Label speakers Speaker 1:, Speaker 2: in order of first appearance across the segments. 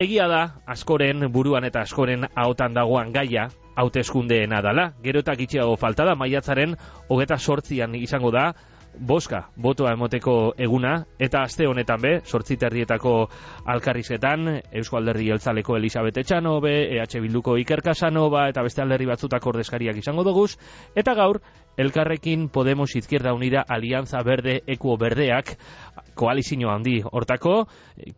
Speaker 1: Egia da, askoren buruan eta askoren ahotan dagoan gaia, hauteskundeena dala. Gero eta gitxiago falta da, maiatzaren 28an izango da, boska, botoa emoteko eguna, eta aste honetan be, 8:30 alkarrizketan, Eusko Alderdi Jeltzaleko Elisabet Etxanobe, EH Bilduko Iker Casanova, eta beste alderdi batzutako ordezkariak izango doguz, eta gaur, Elkarrekin Podemos Izquierda Unida Alianza Verde Ekuo Berdeak, koalizio handi hortako,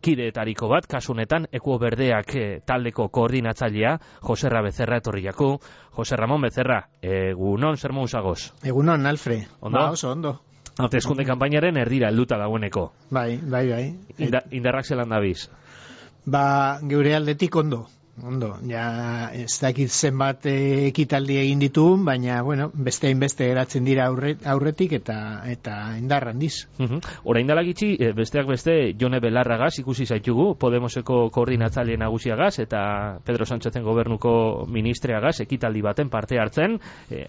Speaker 1: kideetariko bat, kasu honetan, Ekuo Berdeak taldeko koordinatzailea, Joserra Becerra etorriako. Jose Ramon Becerra, egunon, zer moduzagoz?
Speaker 2: Egunon, Alfre.
Speaker 1: Ondo?
Speaker 2: Ba, oso, ondo.
Speaker 1: Hauteskunde kanpainaren erdira helduta dagoeneko.
Speaker 2: Bai.
Speaker 1: Indarrak zelan dabiz?
Speaker 2: Ba, geure aldetik ondo. Ja, ez dakit zenbat ekitaldi egin ditugun, baina, bueno, beste geratzen dira aurretik eta indar handiz.
Speaker 1: Orain dela gitxi, besteak beste, Jone Belarragaz ikusi zaitugu, Podemoseko koordinatzaile nagusiagaz eta Pedro Sánchezen gobernuko ministreagaz ekitaldi baten parte hartzen,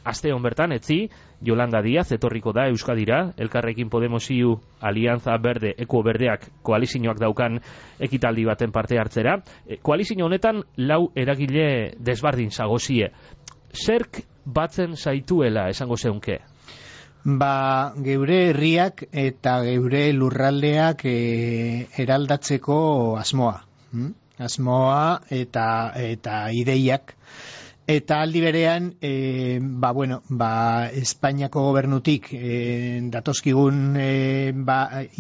Speaker 1: aste hon bertan, etzi, Yolanda Díaz etorriko da Euskadira, Elkarrekin Podemos iu Alianza Verde, Ekuo Berdeak koalizioak daukan ekitaldi baten parte hartzera. Koalizio honetan, lau eragile desbardin zagozie. Zerk batzen zaituela esango zeunke?
Speaker 2: Ba, geure herriak eta geure lurraldeak eraldatzeko asmoa. Asmoa eta ideiak. Eta aldi berean, Espainiako gobernutik datozkigun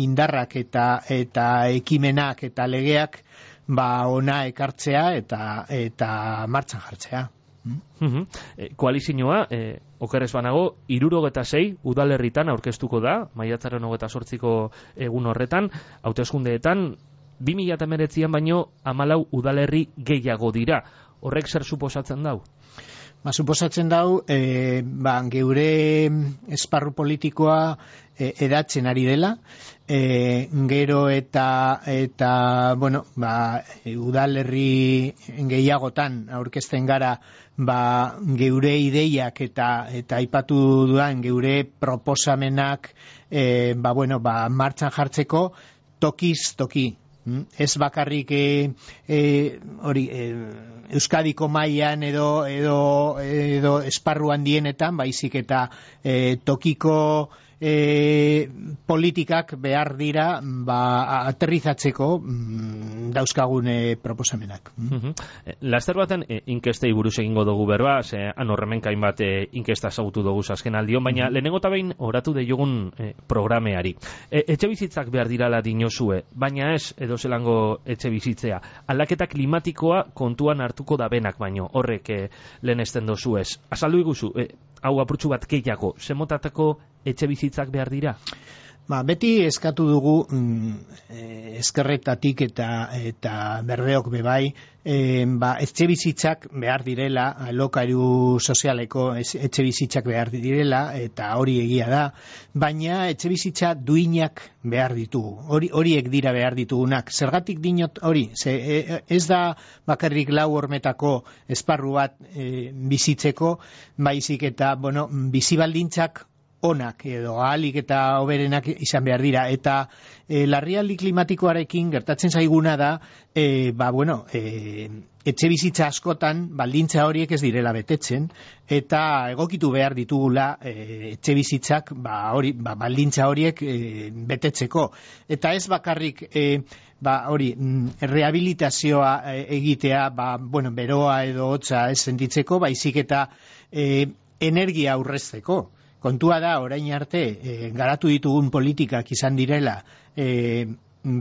Speaker 2: indarrak eta ekimenak eta legeak ona ekartzea eta martxan jartzea.
Speaker 1: Koalizioa, okerrez banago, 76 udalerritan aurkeztuko da, maiatzaren 28ko egun horretan, hauteskundeetan 2019an baino 14 udalerri gehiago dira. Horrek zer suposatzen dau?
Speaker 2: Suposatzen dau, geure esparru politikoa edatzen ari dela, gero eta udalerri gehiagotan aurkezten gara geure ideiak eta aipatu dudan geure proposamenak martxan jartzeko tokiz toki. Ez bakarrik Euskadiko mailan edo esparru handienetan, baizik eta tokiko politikak behar dira aterrizatzeko dauzkagun proposamenak.
Speaker 1: Laster baten inkestei buruz egingo dugu berba, han horremenkain bat inkesta ezagutu dugu azken aldion, baina lehenengo eta behin oratu deiogun programeari. Etxe bizitzak behar dirala dinozue, baina ez edo zelango etxe bizitzea. Aldaketa klimatikoa kontuan hartuko da benak baino, horrek lehenesten dozu ez. Azaldu iguzu, hau apurtxu bat gehiago, zemotatako etxe bizitzak behar dira?
Speaker 2: Beti eskatu dugu eskerretatik eta berdeok bebai, etxe bizitzak behar direla, alokairu sozialeko etxe bizitzak behar direla, eta hori egia da, baina etxe bizitza duinak behar ditugu. Horiek dira behar ditugunak. Zergatik dinot hori? Ez da bakarrik lau hormetako esparru bat bizitzeko, baizik eta bizibaldintzak onak edo ahalik eta hoberenak izan behar dira, eta larrialdi klimatikoarekin gertatzen zaiguna da etxe bizitza askotan baldintza horiek ez direla betetzen, eta egokitu behar ditugula etxe bizitzak baldintza horiek betetzeko, eta ez bakarrik rehabilitazioa egitea beroa edo hotza ez sentitzeko, baizik eta energia aurrezteko. Kontua da, orain arte, garatu ditugun politikak izan direla,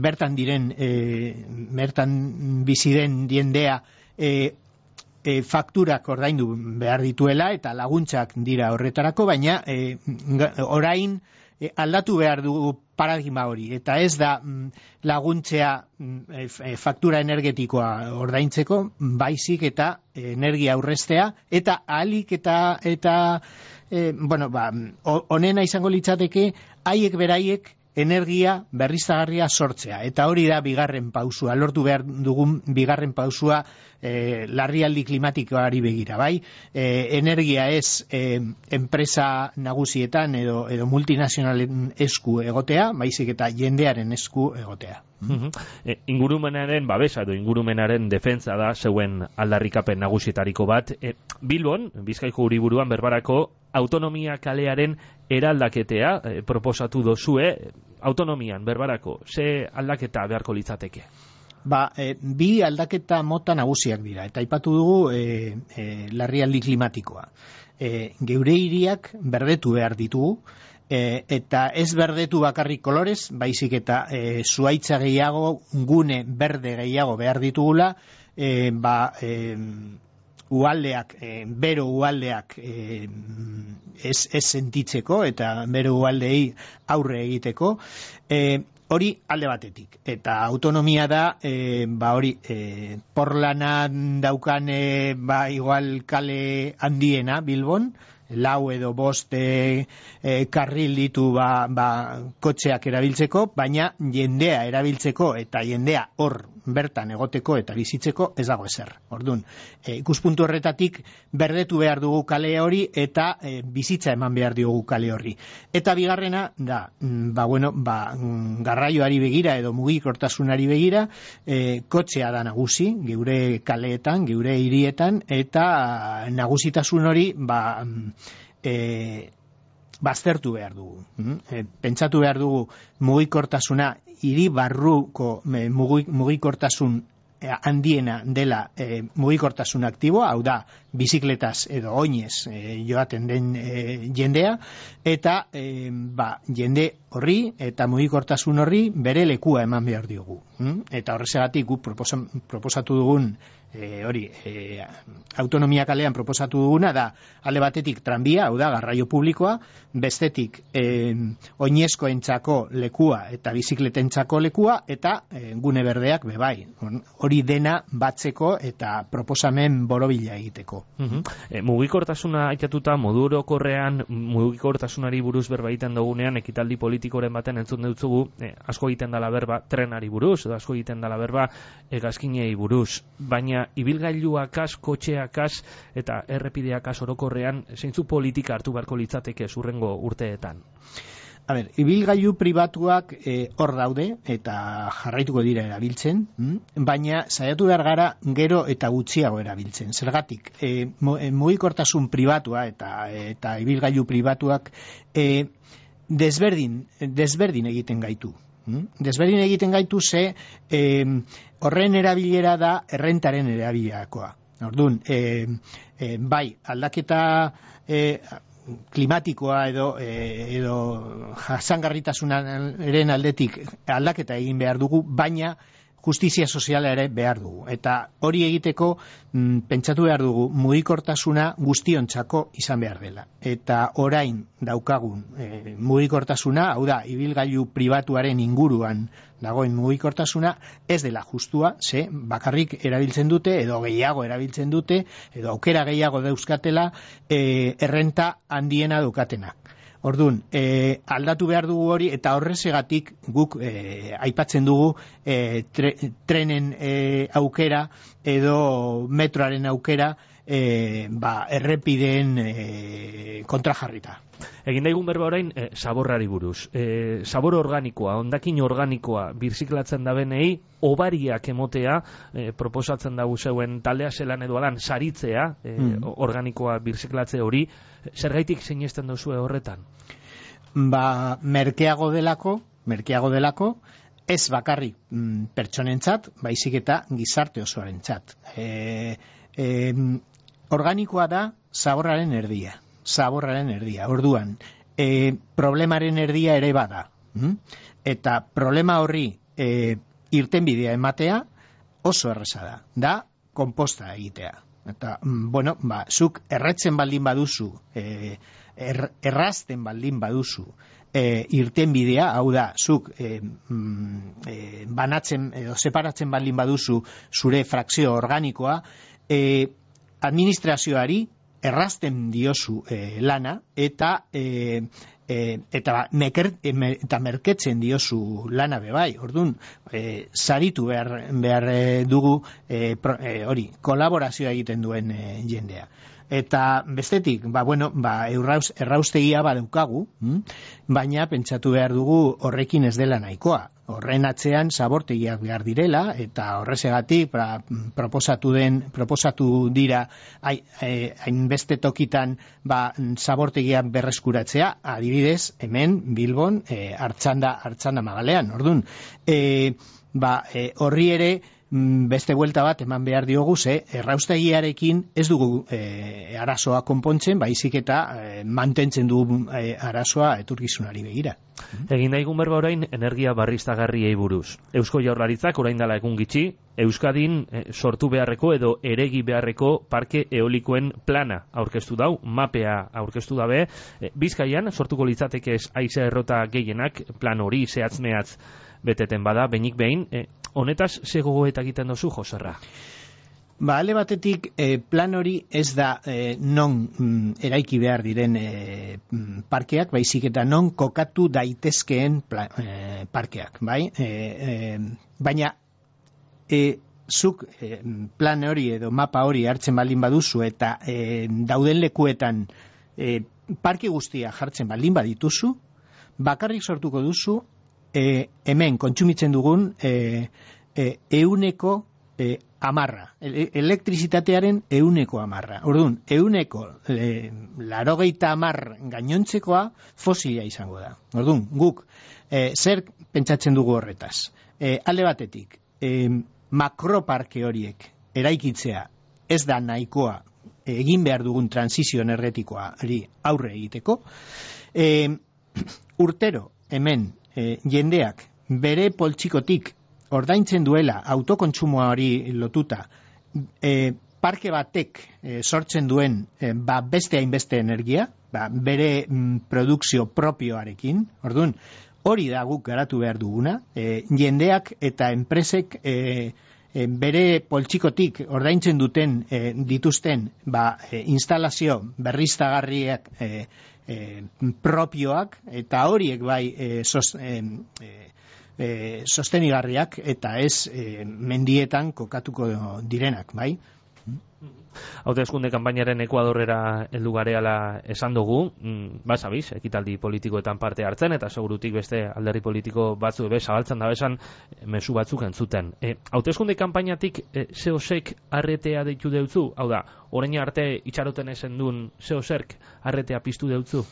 Speaker 2: bertan bizi den jendea fakturak ordaindu behar dituela, eta laguntzak dira horretarako, baina orain aldatu behar dugu paradigma hori, eta ez da laguntzea faktura energetikoa ordaintzeko, baizik eta energia aurreztea, eta ahalik eta honena izango litzateke haiek beraiek energia berriztagarria sortzea, eta hori da bigarren pausua, lortu behar dugun bigarren pausua larrialdi klimatikoari begira, bai? Energia ez enpresa nagusietan edo multinazionalen esku egotea, baizik eta jendearen esku egotea.
Speaker 1: Ingurumenaren babesa edo ingurumenaren defentsa da zeuen aldarrikapen nagusietariko bat. Bilbon, Bizkaiko hiriburuan berbarako autonomia kalearen eraldaketea proposatu dozue. Autonomian berbarako, ze aldaketa beharko litzateke?
Speaker 2: Bi aldaketa mota nagusiak dira, eta aipatu dugu larrialdi klimatikoa. Geure hiriak berdetu behar ditugu, eta ez berdetu bakarrik kolorez, baizik eta zuhaitza gehiago, gune berde gehiago behar ditugula, uhaldeak, bero uhaldeak ez sentitzeko, eta bero uhaldeei aurre egiteko, hori alde batetik. Eta autonomia da, porlanan daukan, igual kale handiena Bilbon, 4 edo 5 karril ditu kotxeak erabiltzeko, baina jendea erabiltzeko eta jendea hor bertan egoteko eta bizitzeko ez dago ezer. Orduan, ikuspuntu horretatik berdetu behar dugu kale hori eta bizitza eman behar diogu kale horri. Eta bigarrena da, garraioari begira edo mugikortasunari begira, kotxea da nagusi, geure kaleetan, geure hirietan, eta nagusitasun hori baztertu behar dugu. Pentsatu behar dugu mugikortasuna, hiri barruko mugikortasun handiena dela mugikortasun aktiboa, hau da, bizikletaz edo oinez joaten den jendea, eta jende horri eta mugikortasun horri bere lekua eman behar diogu. Eta horrezagatik guk proposatu dugun autonomia kalean proposatu duguna da, alde batetik tranbia, hau da, garraio publikoa, bestetik oinezkoentzako lekua eta bizikletentzako lekua, eta gune berdeak bebai. Hori dena batzeko eta proposamen borobila egiteko.
Speaker 1: Mugikortasuna aitatuta modu orokorrean mugikortasunari buruz berba egiten dugunean, ekitaldi politikoren baten entzun dutzugu, asko egiten dela berba trenari buruz, edo asko egiten dela berba hegazkinei buruz, baina ibilgailuak az, kotxeak az, eta errepideak az orokorrean, zeintzu politika hartu beharko litzateke zurrengo urteetan?
Speaker 2: Ibilgailu pribatuak hor daude eta jarraituko dira erabiltzen, baina saiatu behar gara gero eta gutxiago erabiltzen. Zergatik, mugikortasun pribatua eta ibilgailu pribatuak desberdin egiten gaitu. Desberdin egiten gaitu ze horren erabilera da errentaren erabilerakoa. Orduan, bai, aldaketa klimatikoa edo jasangarritasunaren aldetik aldaketa egin behar dugu, baina justizia soziala ere behar dugu. Eta hori egiteko pentsatu behar dugu mugikortasuna guztiontzako izan behar dela. Eta orain daukagun mugikortasuna, hau da, ibilgailu pribatuaren inguruan dagoen mugikortasuna, ez dela justua, ze bakarrik erabiltzen dute, edo gehiago erabiltzen dute, edo aukera gehiago dauzkatela errenta handiena daukatenak. Orduan, aldatu behar dugu hori, eta horrezegatik guk aipatzen dugu trenen aukera edo metroaren aukera errepideen kontrajarrita.
Speaker 1: Egin daigun berba orain, zaborrari buruz. Zabor organikoa, hondakin organikoa birziklatzen da benei, obariak emotea, proposatzen dago zeuen taldea zelan edo alan, saritzea, organikoa birziklatze hori, zergaitik sinesten duzue horretan?
Speaker 2: Merkeago delako, ez bakarrik pertsonentzat, baizik eta gizarte osoarentzat. Organikoa da zaborraren erdia. Orduan, problemaren erdia ere bada. Eta problema horri irtenbidea ematea oso erreza da konposta egitea. Eta, zuk erretzen baldin baduzu, errazten baldin baduzu irtenbidea, hau da, zuk banatzen edo separatzen baldin baduzu zure frakzio organikoa, administrazioari errazten diozu lana, eta eta merketzen diozu lana bebai, orduan, saritu behar dugu kolaborazioa egiten duen jendea. Eta bestetik, erraustegia badaukagu, baina pentsatu behar dugu horrekin ez dela nahikoa. Horren atzean zabortegiak behar direla, eta horrezegatik proposatu dira hainbeste tokitan zabortegiak berreskuratzea, adibidez, hemen Bilbon Artxanda Magalean. Orduan, horri ere beste buelta bat eman behar diogu, erraustegiarekin ez dugu arazoa konpontzen, baizik eta mantentzen dugu arazoa etorkizunari begira.
Speaker 1: Egin daigun berba orain energia berriztagarriei buruz. Eusko Jaurlaritzak orain dela egun gitxi, Euskadin sortu beharreko edo eregi beharreko parke eolikoen plana aurkeztu dau, mapea aurkeztu dabe, Bizkaian sortuko litzateke haize errota gehienak, plan hori zehatz-mehatz beteten bada, behinik behin, honetaz ze gogoeta egiten dozu, Joserra?
Speaker 2: Alde batetik, plan hori ez da non eraiki behar diren parkeak, baizik eta non kokatu daitezkeen parkeak, bai? Baina, zuk plan hori edo mapa hori hartzen baldin baduzu eta dauden lekuetan parke guztia jartzen baldin badituzu, bakarrik sortuko duzu hemen kontsumitzen dugun 100% elektrizitatearen 100%. Orduan, 90% gainontzekoa fosila izango da. Orduan, guk zer pentsatzen dugu horretaz? Alde batetik, makroparke horiek eraikitzea ez da nahikoa egin behar dugun transizio energetikoa aurre egiteko. Urtero, hemen, jendeak bere poltsikotik ordaintzen duela autokontsumoa hori lotuta, parke batek sortzen duen beste hainbeste energia, bere produkzio propioarekin. Orduan, hori da guk garatu behar duguna, jendeak eta enpresek bere poltsikotik ordaintzen dituzten instalazio berriztagarriak propioak, eta horiek sostenigarriak eta ez mendietan kokatuko direnak, bai?
Speaker 1: Hauteskunde kanpainaren Ekuadorrera heldu gareala esan dugu, basabiz, ekitaldi politikoetan parte hartzen, eta segurutik beste alderdi politiko batzu zabaltzen da besan mezu batzuk entzuten. Hauteskunde kanpainatik zeosek arretea deitu deutzu? Hau da, orain arte itxaroten esen duen zeoserk arretea piztu deutzu?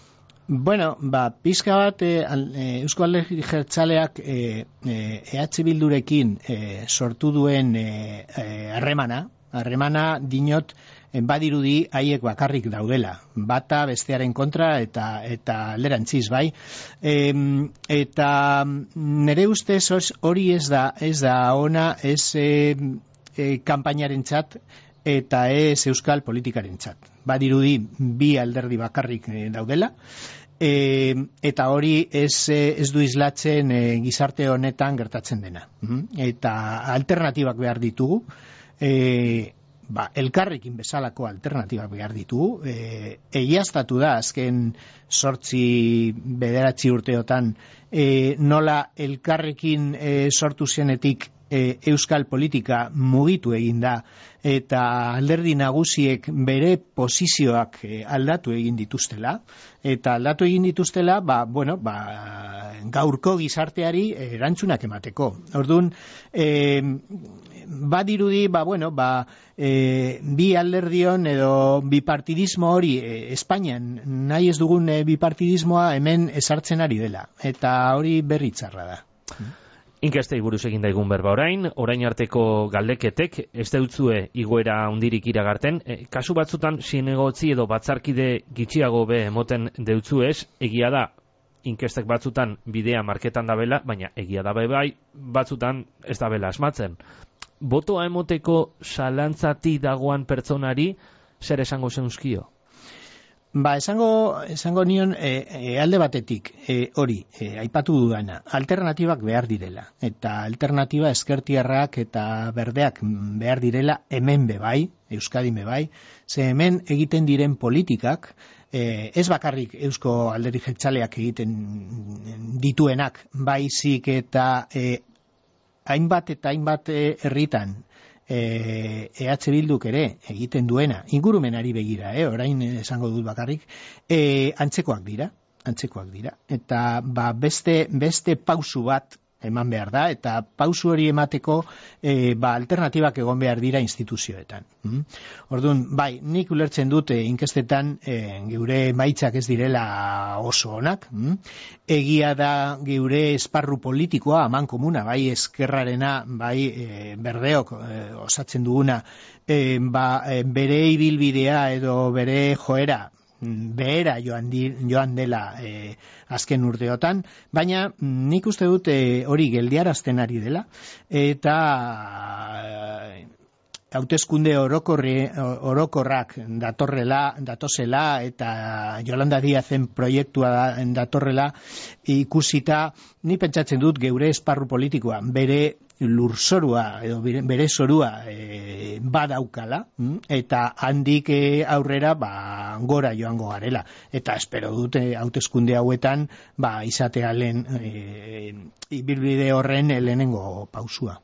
Speaker 2: Bueno, pizka bat Eusko Alderdi Jeltzaleak EH Bildurekin sortu duen harremana diot badirudi haiek bakarrik daudela. Bata bestearen kontra eta alderantziz, bai. Eta nire ustez hori ez da ona ez kanpainarentzat eta ez euskal politikarentzat. Badirudi bi alderdi bakarrik daudela. Eta hori ez du islatzen gizarte honetan gertatzen dena. Eta alternatibak behar ditugu. Elkarrekin bezalako alternatibak behar ditugu. Egiaztatu da azken 8-9 urteotan nola elkarrekin sortu zenetik euskal politika mugitu egin da, eta alderdi nagusiek bere posizioak aldatu egin dituztela, gaurko gizarteari erantzunak emateko. Orduan, badirudi, bi alderdion edo bipartidismo hori Espainian nahi ez dugun bipartidismoa hemen ezartzen ari dela, eta hori berritzarra da.
Speaker 1: Inkestei buruz egin daigun berba orain arteko galdeketek ez deutzue igoera hundirik iragarten, kasu batzutan zinegotzi edo batzarkide gitxiago be emoten deutzuez, egia da inkestek batzutan bidea marketan dabela, baina egia da bai batzutan ez dabela asmatzen. Botoa emoteko zalantzati dagoan pertsonari zer esango zeuzkio?
Speaker 2: Esango nion alde batetik hori, aipatu dudana, alternatibak behar direla, eta alternatiba ezkertiarrak eta berdeak behar direla hemen bebai, Euskadin bebai, ze hemen egiten diren politikak ez bakarrik Eusko Alderdi Jeltzaleak egiten dituenak, baizik eta hainbat herritan EH Bilduk ere egiten duena, ingurumenari begira, orain esango dut bakarrik, antzekoak dira, eta beste pausu bat eman behar da, eta pausu hori emateko alternatibak egon behar dira instituzioetan. Orduan, bai, nik ulertzen dut inkestetan geure emaitzak ez direla oso onak, egia da geure esparru politikoa, aman komuna, bai ezkerrarena, bai berdeok osatzen duguna, bere ibilbidea edo bere joera, behera joan dela azken urteotan, baina nik uste dut hori geldiarazten ari dela, eta hauteskunde orokorrak datozela eta Yolanda Díazen proiektua datorrela ikusita, ni pentsatzen dut geure esparru politikoa, bere lurzorua edo bere zorua badaukala, eta handik aurrera gora joango garela, eta espero dute hauteskunde hauetan izatea lehen ibilbide horren lehenengo pausua.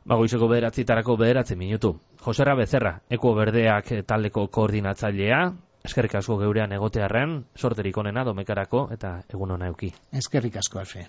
Speaker 1: Goizeko 9:00 minutu. Josera Becerra, Eko Berdeak taldeko koordinatzailea, eskerrik asko geurean egotearren, sorterik onena domekarako eta egun ona euki.
Speaker 2: Eskerrik asko, Alfe.